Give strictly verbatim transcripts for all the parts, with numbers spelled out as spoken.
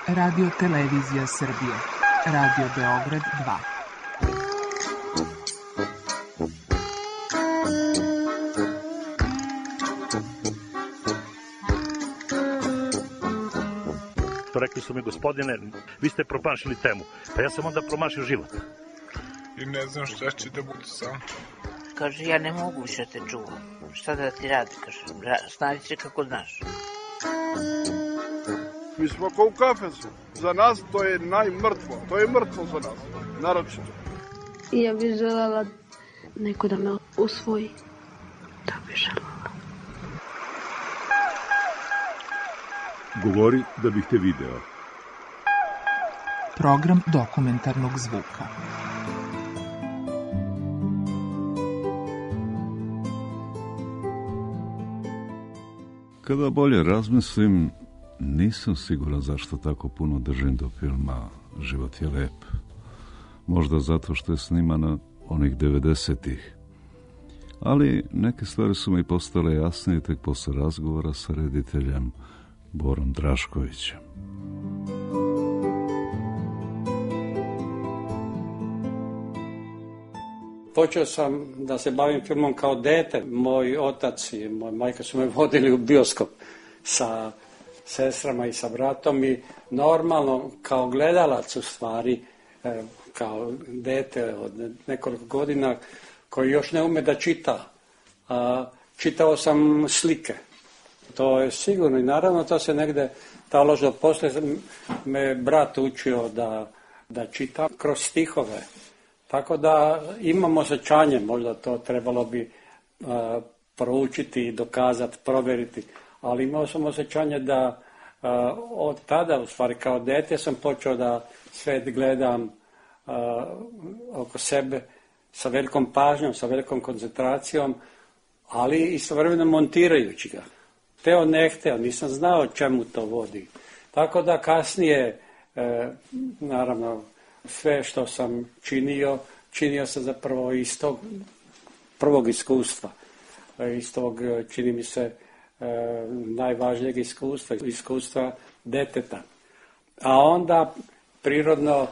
Radio Televizija Srbije. Radio Beograd dva. Rekli su mi, gospodine, vi ste promašili temu. Pa ja sam onda promašio život. I ne znam šta će da bude sam. Kaže, ja ne mogu više te čuvam. Šta da ti radi, kaže, snađi se kako znaš. Mi smo kao u kafesu. Za nas to je najmrtvo. To je mrtvo za nas. Naročito. I ja bih želela neko da me usvoji. Da bih želela. Govori da bih te video. Program dokumentarnog zvuka. Kada bolje razmislim, nisam siguran zašto tako puno držim do filma Život je lep. Možda zato što je snimana onih devedesetih. Ali neke stvari su mi postale jasnije tek posle razgovora sa rediteljem Borom Draškovićem. Počeo sam da se bavim filmom kao dete. Moj otac i moja majka su me vodili u bioskop sa sestrama i sa bratom i normalno kao gledalac u stvari, kao dete od nekoliko godina koji još ne ume da čita, čitao sam slike. To je sigurno i naravno to se negde taložilo. Poslije me brat učio da, da čita kroz stihove. Tako da imam osjećanje, možda to trebalo bi uh, proučiti i dokazati, provjeriti. Ali imao sam osjećanje da uh, od tada, u stvari kao dete, sam počeo da svet gledam uh, oko sebe sa velikom pažnjom, sa velikom koncentracijom, ali istovremeno montirajući ga. Teo ne hteo, nisam znao čemu to vodi. Tako da kasnije, e, naravno, sve što sam činio, činio sam zapravo iz tog prvog iskustva. Iz tog, čini mi se, e, najvažnijeg iskustva, iskustva deteta. A onda, prirodno, e,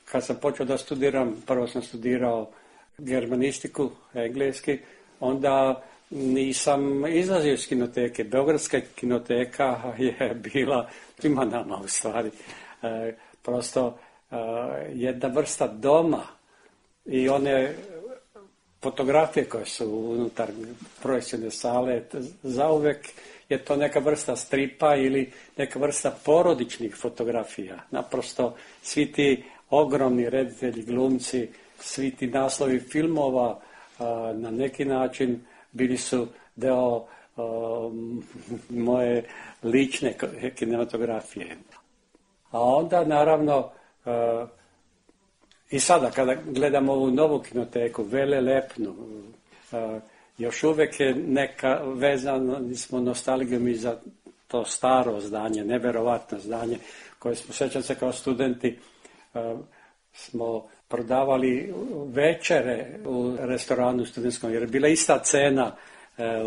kad sam počeo da studiram, prvo sam studirao germanistiku, engleski, onda nisam izlazio iz kinoteke. Beogradska kinoteka je bila svima nama u stvari. E, prosto e, jedna vrsta doma i one fotografije koje su unutar projekcijne sale, zauvek je to neka vrsta stripa ili neka vrsta porodičnih fotografija. Naprosto svi ti ogromni reditelji, glumci, svi ti naslovi filmova e, na neki način bili su deo um, moje lične kinematografije. A onda, naravno, uh, i sada kada gledamo ovu novu kinoteku, velelepnu, uh, još uvek je neka vezana, smo nostalgijom i za to staro zdanje, neverovatno zdanje, koje smo, sećam se kao studenti, uh, smo prodavali večere u restoranu studentskom, jer je bila ista cena e,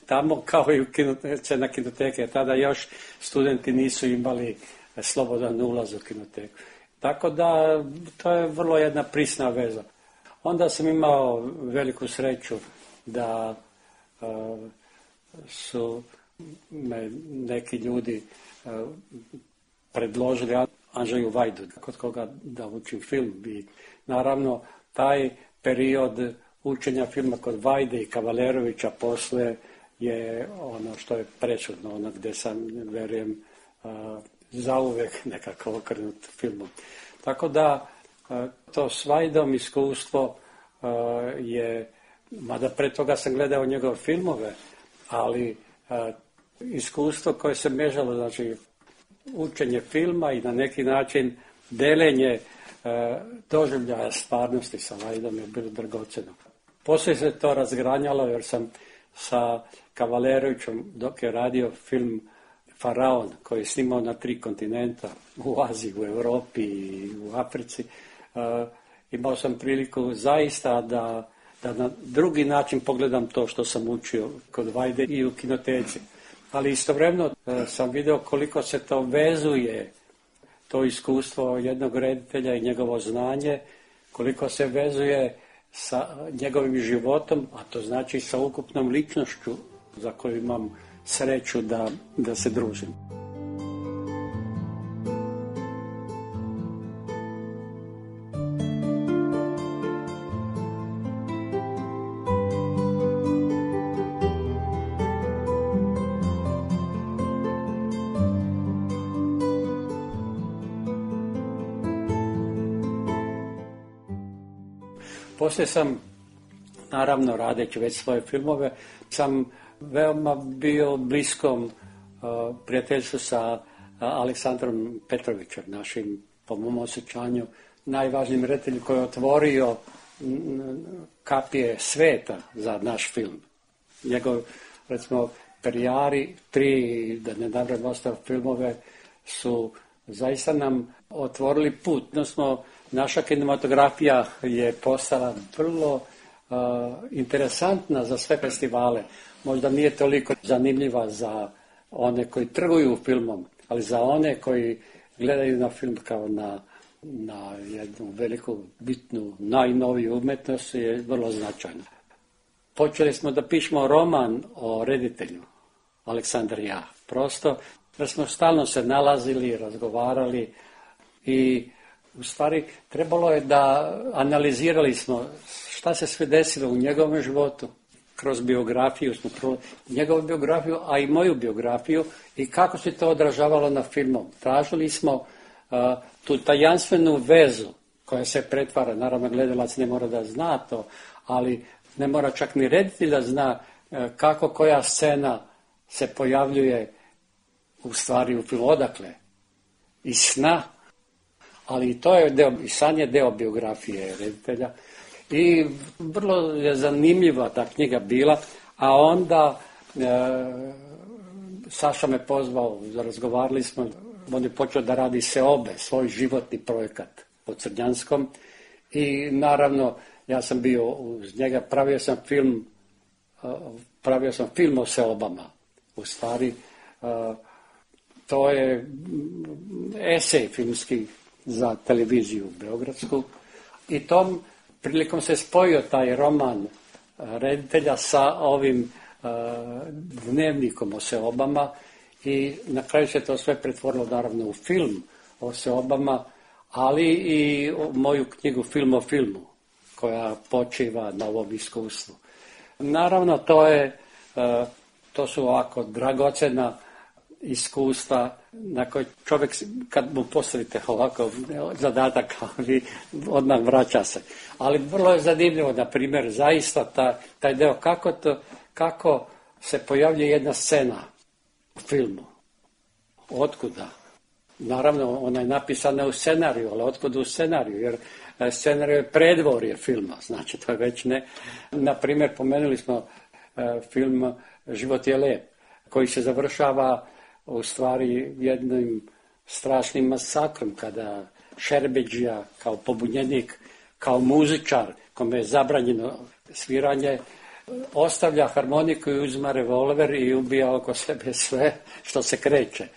tamo kao i u kinote, cena kinoteke. Tada još studenti nisu imali slobodan ulaz u kinoteku. Tako da to je vrlo jedna prisna veza. Onda sam imao veliku sreću da e, su me neki ljudi e, predložili Andžeju Vajdu, kod koga da učim film. I naravno, taj period učenja filma kod Vajde i Kavalerovića posle je ono što je prečudno, ono gde sam, verujem, zauvek nekako okrenut filmom. Tako da, to s Vajdom iskustvo je, mada pre toga sam gledao njegove filmove, ali iskustvo koje se mežalo, znači, učenje filma i na neki način delenje e, doživljaja stvarnosti sa Vajdom je bilo dragoceno. Poslije se to razgranjalo jer sam sa Kavalerovićem, dok je radio film Faraon, koji je snimao na tri kontinenta, u Aziji, u Europi i u Africi, e, imao sam priliku zaista da, da na drugi način pogledam to što sam učio kod Vajde i u kinoteci. ali istovremeno sam vidio koliko se to vezuje, to iskustvo jednog reditelja i njegovo znanje, koliko se vezuje sa njegovim životom, a to znači sa ukupnom ličnošću za koju imam sreću da, da se družim. Poslije sam, naravno radeći već svoje filmove, sam veoma bio bliskom uh, prijateljstvu sa uh, Aleksandrom Petrovićem, našim, po mom osjećanju, najvažnijim rediteljem koji je otvorio m, kapije sveta za naš film. Njegov, recimo, Perijari, tri, da ne nabrajam ostale filmove, su zaista nam otvorili put. Odnosno, naša kinematografija je postala vrlo uh, interesantna za sve festivale. Možda nije toliko zanimljiva za one koji trguju filmom, ali za one koji gledaju na film kao na, na jednu veliku, bitnu, najnoviju umetnost je vrlo značajna. Počeli smo da pišemo roman o reditelju, Aleksandar i ja. Prosto da smo stalno se nalazili, razgovarali i u stvari trebalo je da analizirali smo šta se sve desilo u njegovom životu. Kroz biografiju smo pro... njegovu biografiju, a i moju biografiju i kako se to odražavalo na filmom. Tražili smo uh, tu tajanstvenu vezu koja se pretvara, naravno gledalac ne mora da zna to, ali ne mora čak ni reditelj da zna uh, kako koja scena se pojavljuje u stvari u filmu, odakle, iz sna, ali i to je deo, i san je deo biografije reditelja. I vrlo je zanimljiva ta knjiga bila, a onda e, Saša me pozvao, razgovarali smo, on je počeo da radi Seobe, svoj životni projekat po Crnjanskom i naravno ja sam bio uz njega, pravio sam film, pravio sam film o Seobama, u stvari e, to je esej filmski za televiziju beogradsku i tom prilikom se spojio taj roman reditelja sa ovim uh, dnevnikom o Seobama i na kraju se to sve pretvorilo naravno u film o Seobama, ali i moju knjigu Film o filmu koja počiva na ovom iskustvu. Naravno to je, uh, to su ovako dragocena iskustva na koje čovjek, kad mu postavite ovako zadatak, vi odmah vraća se. Ali vrlo je zanimljivo, na primjer, zaista ta, taj deo, kako, to, kako se pojavlja jedna scena u filmu. Otkuda? Naravno, ona je napisana u scenariju, ali otkuda u scenariju, jer scenarij je predvorje filma, znači to je već ne. Na primjer, pomenuli smo e, film Život je lep, koji se završava u stvari jednim strašnim masakrom kada Šerbedžija kao pobunjenik, kao muzičar kome je zabranjeno sviranje, ostavlja harmoniku i uzima revolver i ubija oko sebe sve što se kreće.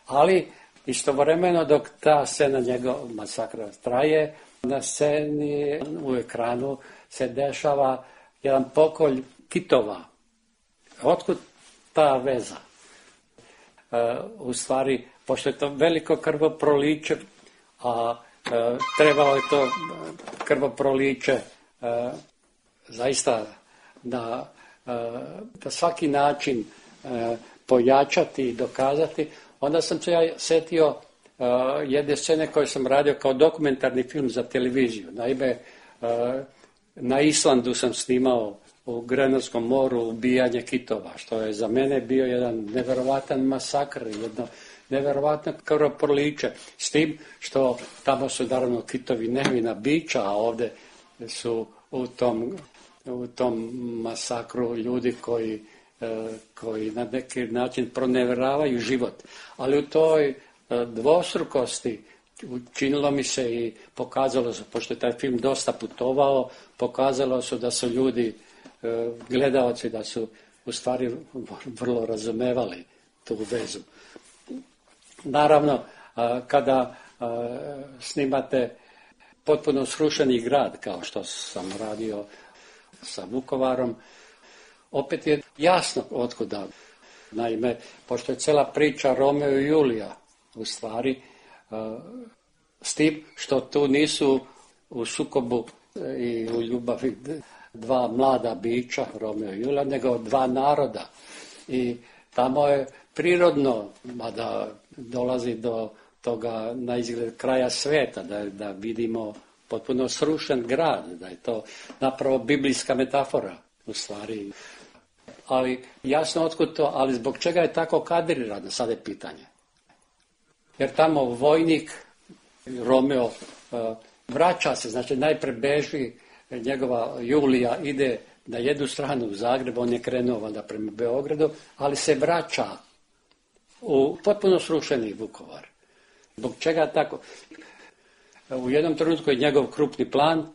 Ali istovremeno dok ta scena njegov masakra traje, na sceni u ekranu se dešava jedan pokolj kitova. Otkud ta veza? Uh, u stvari, pošto je to veliko krvoproliće, a uh, trebalo je to krvoproliće uh, zaista da, uh, da svaki način uh, pojačati i dokazati, onda sam se ja setio uh, jedne scene koje sam radio kao dokumentarni film za televiziju. Naime, uh, na Islandu sam snimao u Grenlandskom moru ubijanje kitova, što je za mene bio jedan neverovatan masakr, jedno neverovatno krvoproliće. S tim što tamo su naravno kitovi nevina bića, a ovdje su u tom, u tom masakru ljudi koji, koji na neki način proneveravaju život. Ali u toj dvostrukosti učinilo mi se i pokazalo se, pošto je taj film dosta putovao, pokazalo se da su ljudi, gledaoci, da su u stvari vrlo razumevali tu vezu. Naravno, kada snimate potpuno srušeni grad, kao što sam radio sa Vukovarom, opet je jasno otkuda. Naime, pošto je cela priča Romeo i Julija, u stvari, s tim što tu nisu u sukobu i u ljubavi dva mlada bića, Romeo i Julija, nego dva naroda. I tamo je prirodno, mada dolazi do toga na izgled kraja sveta, da, da vidimo potpuno srušen grad, da je to napravo biblijska metafora u stvari. Ali jasno otkud to, ali zbog čega je tako kadrirano, sad je pitanje. Jer tamo vojnik, Romeo, vraća se, znači najpre beži, njegova Julija ide na jednu stranu u Zagreb, on je krenuo valjda prema Beogradu, ali se vraća u potpuno srušeni Vukovar. Zbog čega tako? U jednom trenutku je njegov krupni plan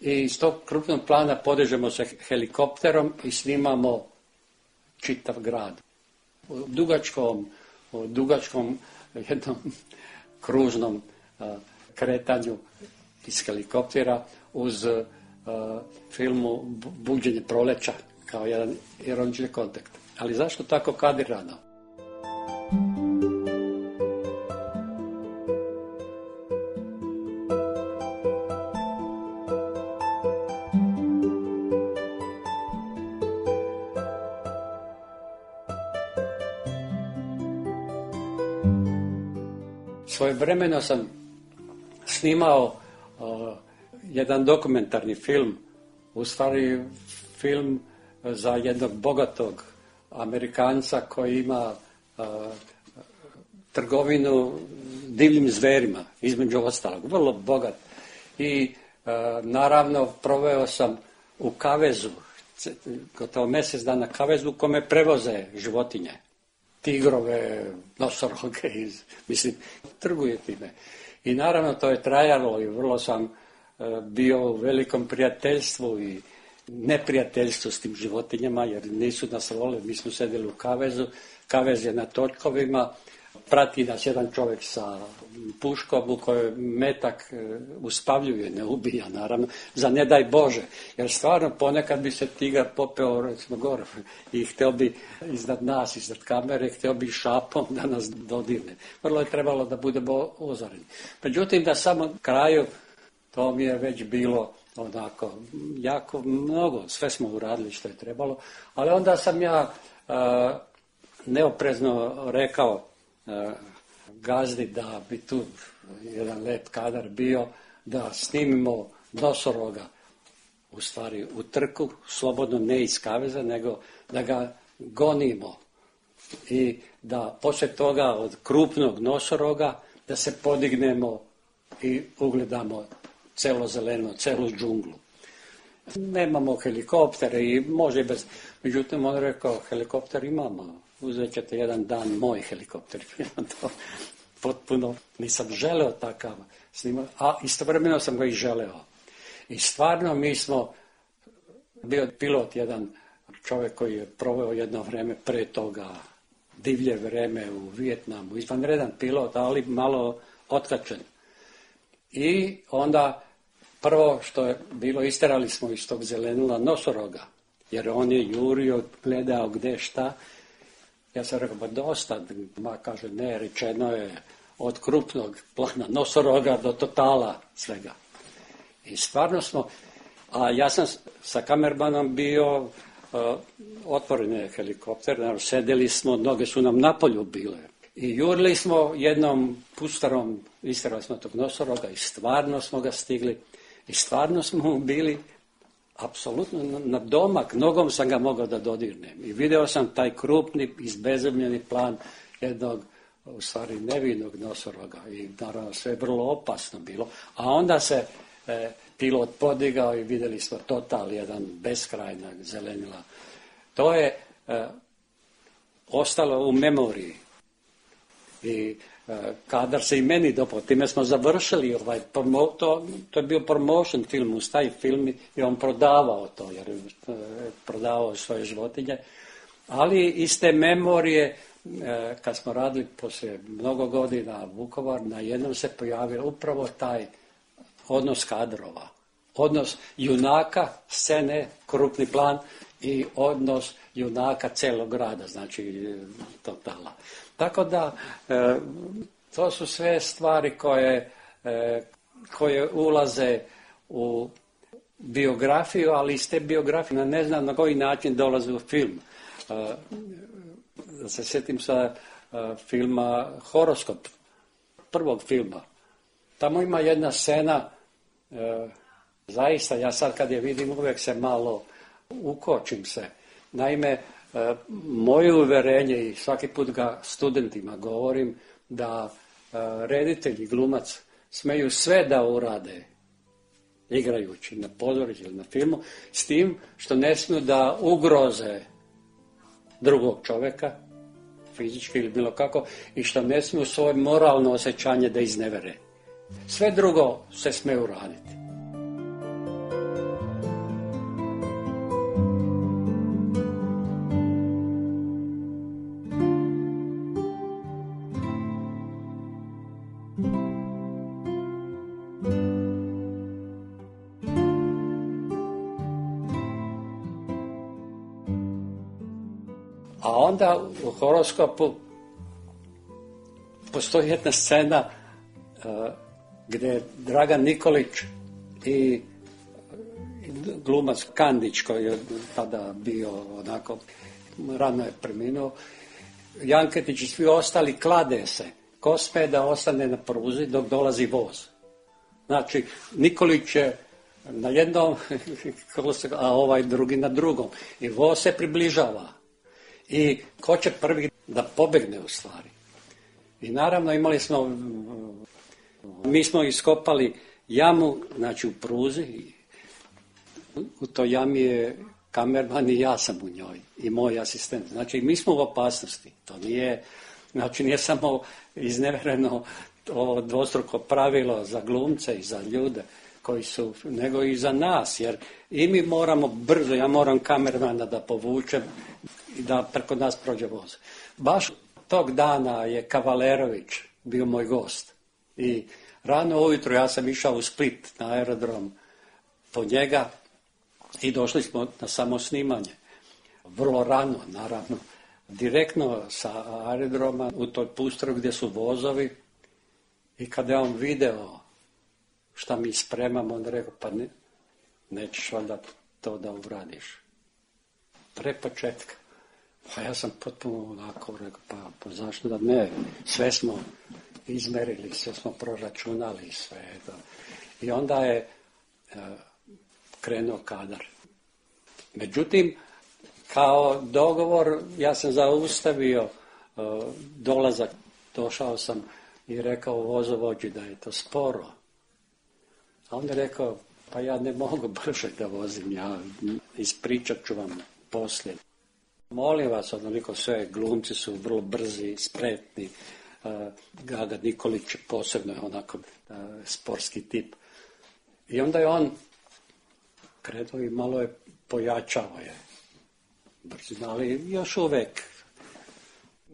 i iz tog krupnog plana podižemo se helikopterom i snimamo čitav grad. U dugačkom, u dugačkom jednom kružnom a, kretanju iz helikoptera uz a, filmu Buđenje proleća kao jedan ironični kontakt. Ali zašto tako kadrirano? Svojevremeno sam snimao uh, jedan dokumentarni film, u stvari film za jednog bogatog Amerikanca koji ima uh, trgovinu divljim zverima, između ostalog, vrlo bogat. I uh, naravno proveo sam u kavezu, gotovo mjesec dana kavezu u kome prevoze životinje. Tigrove, nosoroge, iz, mislim, trguje time. I naravno to je trajalo i vrlo sam e, bio u velikom prijateljstvu i neprijateljstvu s tim životinjama, jer nisu nas volili, mi smo sedjeli u kavezu, kavez je na točkovima, prati nas jedan čovjek sa puškom u kojoj metak uspavljuje, ne ubija naravno, za ne daj Bože, jer stvarno ponekad bi se tigar popeo recimo gore i htio bi iznad nas, iznad kamere, htio bi šapom da nas dodirne. Vrlo je trebalo da budemo ozoreni. Međutim, na samom kraju to mi je već bilo onako jako mnogo, sve smo uradili što je trebalo, ali onda sam ja uh, neoprezno rekao uh, gazdi da bi tu jedan lep kadar bio, da snimimo nosoroga u stvari u trku, slobodno ne iz kaveza, nego da ga gonimo i da poslije toga od krupnog nosoroga da se podignemo i ugledamo celo zeleno, celu džunglu. Nemamo helikoptere i može bez... Međutim, on rekao, helikopter imamo, uzet ćete jedan dan moj helikopter. To potpuno nisam želeo takav snimati, a istovremeno sam ga i želeo. I stvarno mi smo, bio pilot jedan čovjek koji je proveo jedno vrijeme pre toga, divlje vrijeme u Vijetnamu, izvanredan pilot, ali malo otkačen. I onda prvo što je bilo, isterali smo iz tog zelenila nosoroga, jer on je jurio, gledao gdje šta. Ja sam rekao, ba dosta, ma kaže, ne, rečeno je od krupnog plana nosoroga do totala svega. I stvarno smo, a ja sam sa kamermanom bio, uh, otvoren je helikopter, naravno, sedeli smo, noge su nam na polju bile. I jurili smo jednom pustarom, isterali smo tog nosoroga i stvarno smo ga stigli. I stvarno smo bili apsolutno na domak, nogom sam ga mogao da dodirnem. I video sam taj krupni, izbezumljeni plan jednog, u stvari nevinog nosoroga. I naravno sve je vrlo opasno bilo. A onda se e, pilot podigao i vidjeli smo total jedan beskrajna zelenila. To je e, ostalo u memoriji. I kadar se i meni dopao, time smo završili ovaj promo, to, to je bio promotion film, uz taj film i on prodavao to, jer je prodavao svoje životinje, ali iz te memorije e, kad smo radili poslije mnogo godina Vukovar, na jednom se pojavio upravo taj odnos kadrova, odnos junaka, scene, krupni plan i odnos junaka celog grada, znači totala. Tako da, e, to su sve stvari koje, e, koje ulaze u biografiju, ali iz te biografije ne znam na koji način dolaze u film. E, da se sjetim sa e, filma Horoskop, prvog filma. Tamo ima jedna scena, e, zaista, ja sad kad je vidim uvijek se malo ukočim se. Naime, e, moje uverenje i svaki put ga studentima govorim da e, reditelji, glumac smeju sve da urade igrajući na pozorištu ili na filmu, s tim što ne smiju da ugroze drugog čovjeka, fizički ili bilo kako, i što ne smiju svoje moralno osjećanje da iznevere. Sve drugo se smije uraditi. A onda u Horoskopu postoji jedna scena uh, gdje Dragan Nikolić i, i glumac Kandić, koji je tada bio onako, rano je preminuo, Janketić i svi ostali klade se. Ko sme da ostane na pruzi dok dolazi voz? Znači, Nikolić je na jednom, a ovaj drugi na drugom. I voz se približava. I ko će prvi da pobegne u stvari. I naravno imali smo, mi smo iskopali jamu, znači u pruzi, u toj jami je kamerman i ja sam u njoj i moj asistent. Znači mi smo u opasnosti, to nije, znači nije samo iznevereno ovo dvostruko pravilo za glumce i za ljude koji su, nego i za nas, jer i mi moramo brzo, ja moram kamermana da povučem i da preko nas prođe voz. Baš tog dana je Kavalerović bio moj gost i rano ujutro ja sam išao u Split na aerodrom po njega i došli smo na samo snimanje. Vrlo rano, naravno, direktno sa aerodroma u toj pustru gdje su vozovi i kada je on video šta mi spremamo, on rekao, pa ne, nećeš valjda to da uradiš. Pre početka. Pa ja sam potpuno onako rekao, pa, pa zašto da ne, sve smo izmerili, sve smo proračunali, sve to. I onda je e, krenuo kadar. Međutim, kao dogovor, ja sam zaustavio e, dolazak, došao sam i rekao vozovođi da je to sporo. A on je rekao, pa ja ne mogu brže da vozim, ja ispričat ću vam poslije. Molim vas, onoliko sve, glumci su vrlo brzi, spretni, uh, Gaga Nikolić posebno je onako uh, sportski tip. I onda je on krenuo i malo je pojačao je brzina, ali još uvijek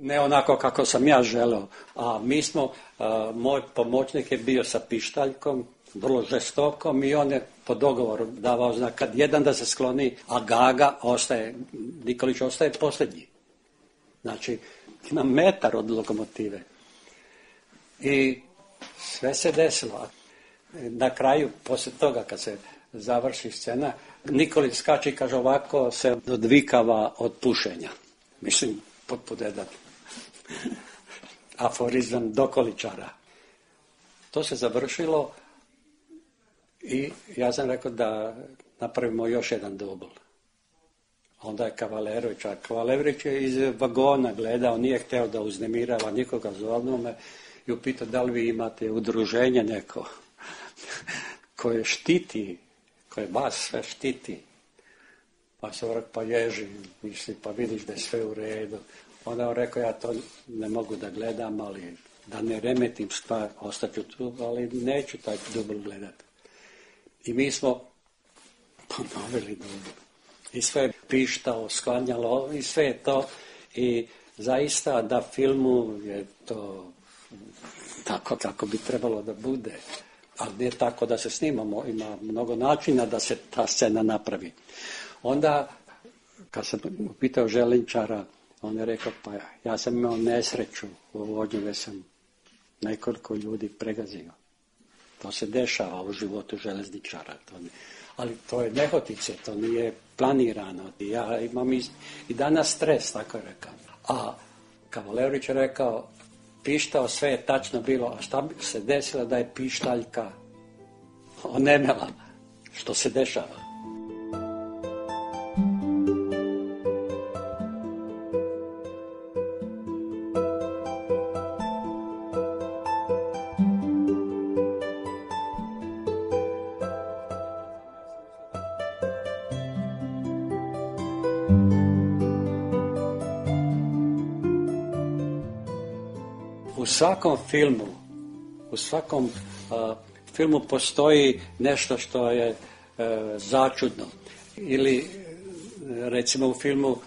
ne onako kako sam ja želeo. A mi smo, uh, moj pomoćnik je bio sa pištaljkom, vrlo žestokom i on je po dogovoru davao znak kad jedan da se skloni, a Gaga ostaje, Nikolić ostaje posljednji. Znači, ima metar od lokomotive. I sve se desilo. Na kraju, poslije toga, kad se završi scena, Nikolić skače i kaže ovako se odvikava od pušenja. Mislim, potpuno jedan aforizam dokoličara. To se završilo i ja sam rekao da napravimo još jedan dubl. Onda je Kavalerović, a Kavalerović je iz vagona gledao, nije htio da uznemirava nikoga, zovno me i upitao da li vi imate udruženje neko koje štiti, koje vas sve štiti. Pa se rekao, pa ježi, misli, pa vidiš da je sve u redu. Onda on rekao, ja to ne mogu da gledam, ali da ne remetim stvar, ostaću tu, ali neću taj dubl gledati. I mi smo ponovili dubl. I sve je pištao, sklanjalo, i sve je to. I zaista da filmu je to tako kako bi trebalo da bude. Ali ne tako da se snimamo, ima mnogo načina da se ta scena napravi. Onda, kad sam upitao željezničara, on je rekao, pa ja sam imao nesreću u vožnju, gdje sam nekoliko ljudi pregazio. To se dešava u životu željezničara. To ne, ali to je nehotice, to nije planirano. Ja imam i, i danas stres, tako je rekao. A Kavalerić je rekao, pištao, sve je tačno bilo, a šta bi se desilo da je pištaljka onemela, što se dešava. U svakom filmu, u svakom uh, filmu postoji nešto što je uh, začudno. Ili recimo u filmu uh,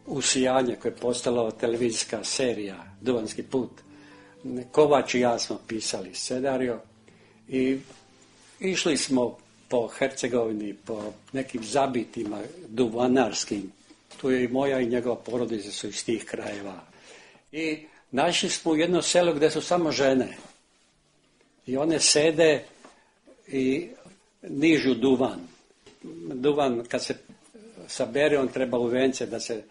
Usijanje, koje je postala televizijska serija Duvanski put. Kovač i ja smo pisali scenario i išli smo po Hercegovini, po nekim zabitima duvanarskim. Tu je i moja i njegova porodica su iz tih krajeva. I našli smo u jedno selo gdje su samo žene. I one sede i nižu duvan. Duvan kad se sabere, on treba u vence da se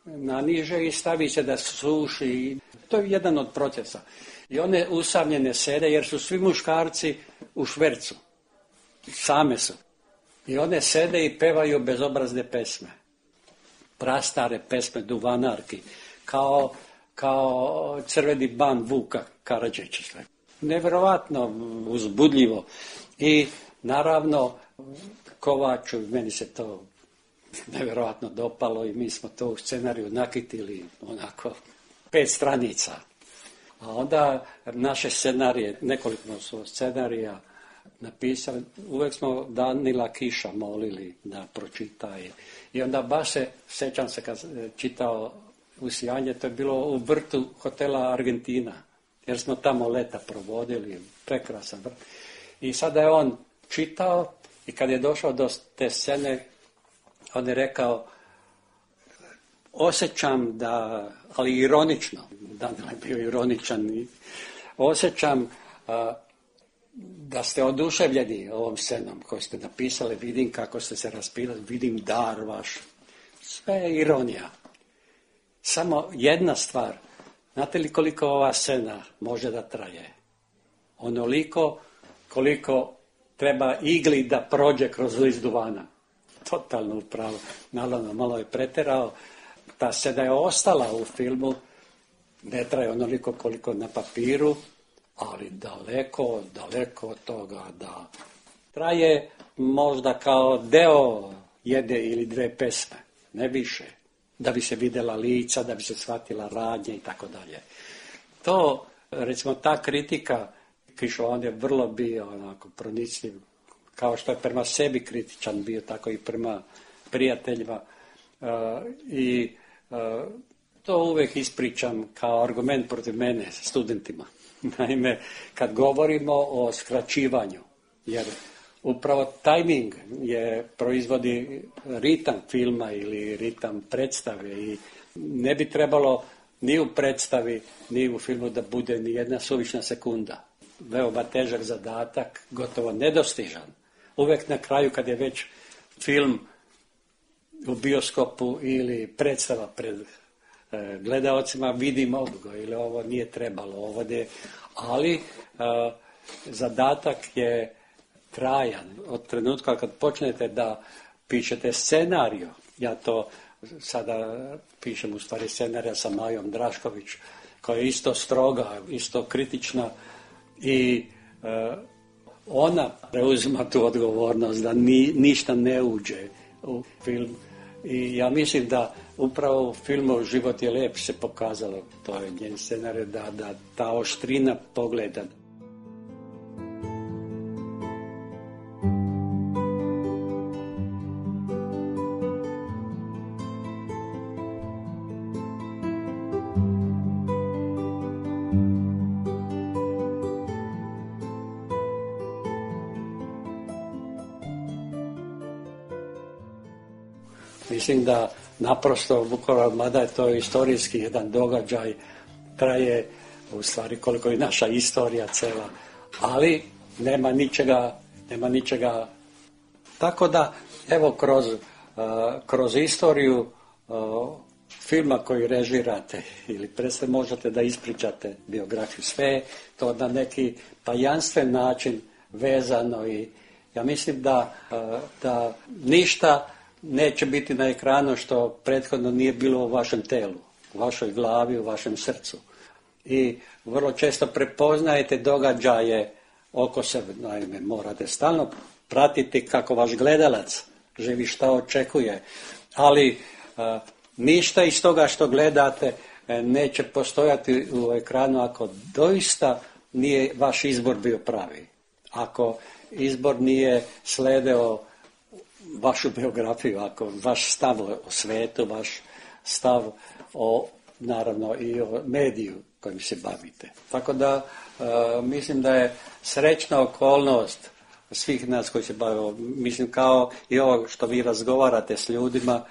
naniže i stavi se da suši. To je jedan od procesa. I one usamljene sede jer su svi muškarci u švercu. Same su. I one sede i pevaju bezobrazne pesme. Prastare pesme duvanarki. Kao kao Crveni ban Vuka Karadžića. Nevjerovatno uzbudljivo. I naravno Kovaču, meni se to nevjerovatno dopalo i mi smo to u scenariju nakitili onako pet stranica. A onda naše scenarije, nekoliko su scenarija napisali, uvijek smo Danila Kiša molili da pročita. I onda baš se, sjećam se kad čitao Usijanje, to je bilo u vrtu hotela Argentina, jer smo tamo leta provodili, prekrasan vrt. I sada je on čitao i kad je došao do te scene, on je rekao, osjećam da, ali ironično, Danilo je bio ironičan, i osjećam a, da ste oduševljeni ovom scenom koju ste napisali, vidim kako ste se raspilali, vidim dar vaš, sve je ironija. Samo jedna stvar, znate li koliko ova scena može da traje? Onoliko koliko treba igli da prođe kroz list duvana. Totalno upravo. Naravno, malo je preterao. Ta scena je ostala u filmu, ne traje onoliko koliko na papiru, ali daleko, daleko od toga da traje možda kao deo jedne ili dve pesme, ne više. Da bi se vidjela lica, da bi se shvatila radnja i tako dalje. To, recimo, ta kritika, Kišo, on je vrlo bio onako pronicljiv, kao što je prema sebi kritičan bio, tako i prema prijateljima. Uh, I uh, to uvijek ispričam kao argument protiv mene, studentima. Naime, kad govorimo o skraćivanju, jer upravo tajming je proizvodi ritam filma ili ritam predstave i ne bi trebalo ni u predstavi, ni u filmu da bude ni jedna suvišna sekunda. Veoma težak zadatak, gotovo nedostižan. Uvijek na kraju kad je već film u bioskopu ili predstava pred e, gledaocima, vidimo ga ili ovo nije trebalo, ovo je, ali e, zadatak je trajan. Od trenutka kad počnete da pišete scenariju, ja to sada pišem u stvari scenarija sa Majom Drašković, koja je isto stroga, isto kritična i e, ona preuzima tu odgovornost da ni, ništa ne uđe u film. I ja mislim da upravo u filmu Život je lijep se pokazalo, to je njen scenarij, da, da ta oštrina pogleda. mislim da naprosto Vukovar, mada je to istorijski jedan događaj, traje u stvari koliko je naša istorija cela, ali nema ničega, nema ničega. Tako da, evo, kroz, uh, kroz istoriju uh, filma koji režirate ili predstav možete da ispričate biografiju, sve to na neki tajanstven način vezano i ja mislim da, uh, da ništa neće biti na ekranu što prethodno nije bilo u vašem telu, u vašoj glavi, u vašem srcu. I vrlo često prepoznajete događaje oko sebe, naime morate stalno pratiti kako vaš gledalac živi, šta očekuje, ali a, ništa iz toga što gledate e, neće postojati u ekranu ako doista nije vaš izbor bio pravi. Ako izbor nije sledeo vašu biografiju, ako vaš stav o svetu, vaš stav o, naravno i o mediju kojim se bavite. Tako da e, mislim da je srećna okolnost svih nas koji se bave, mislim kao i ovo što vi razgovarate s ljudima,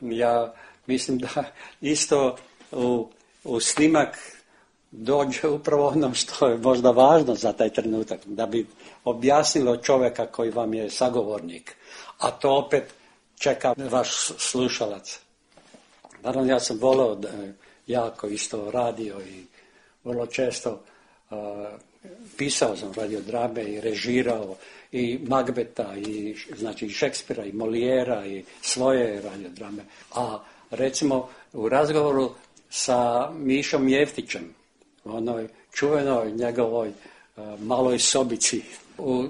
ja mislim da isto u, u snimak dođe upravo ono što je možda važno za taj trenutak, da bi objasnilo čovjeka koji vam je sagovornik, a to opet čeka vaš slušalac. Naravno, ja sam voleo da jako isto radio i vrlo često uh, pisao sam radiodrame i režirao i Magbeta i znači i Šekspira i Molijera i svoje radiodrame. A recimo u razgovoru sa Mišom Jeftićem, u onoj čuvenoj njegovoj uh, maloj sobici, u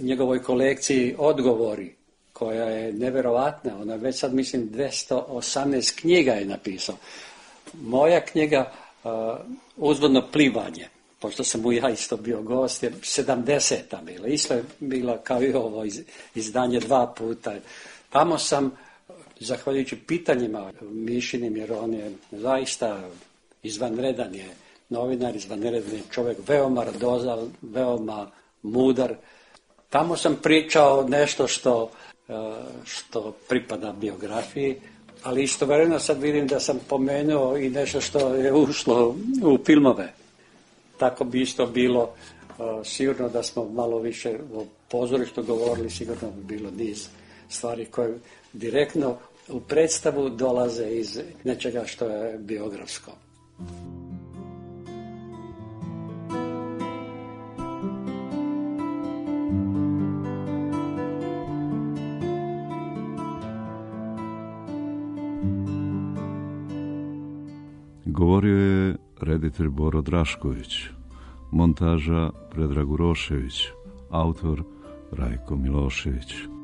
njegovoj kolekciji Odgovori, koja je neverovatna, ona već sad mislim dvjesto osamnaest knjiga je napisao. Moja knjiga uh, Uzvodno plivanje, pošto sam mu ja isto bio gost, je sedamdeseta bila, isto je bila kao i ovo iz, izdanje dva puta. Tamo sam, zahvaljujući pitanjima Mišinim, jer on je zaista izvanredan je novinar, izvanredan je čovjek, veoma radozan, veoma mudar. Tamo sam pričao nešto što, što pripada biografiji, ali istovremeno sad vidim da sam pomenuo i nešto što je ušlo u filmove. Tako bi isto bilo, sigurno da smo malo više o pozorištu govorili, sigurno bi bilo niz stvari koje direktno u predstavu dolaze iz nečega što je biografsko. Govorio je reditelj Boro Drašković, montaža Predrag Urošević, autor Rajko Milošević.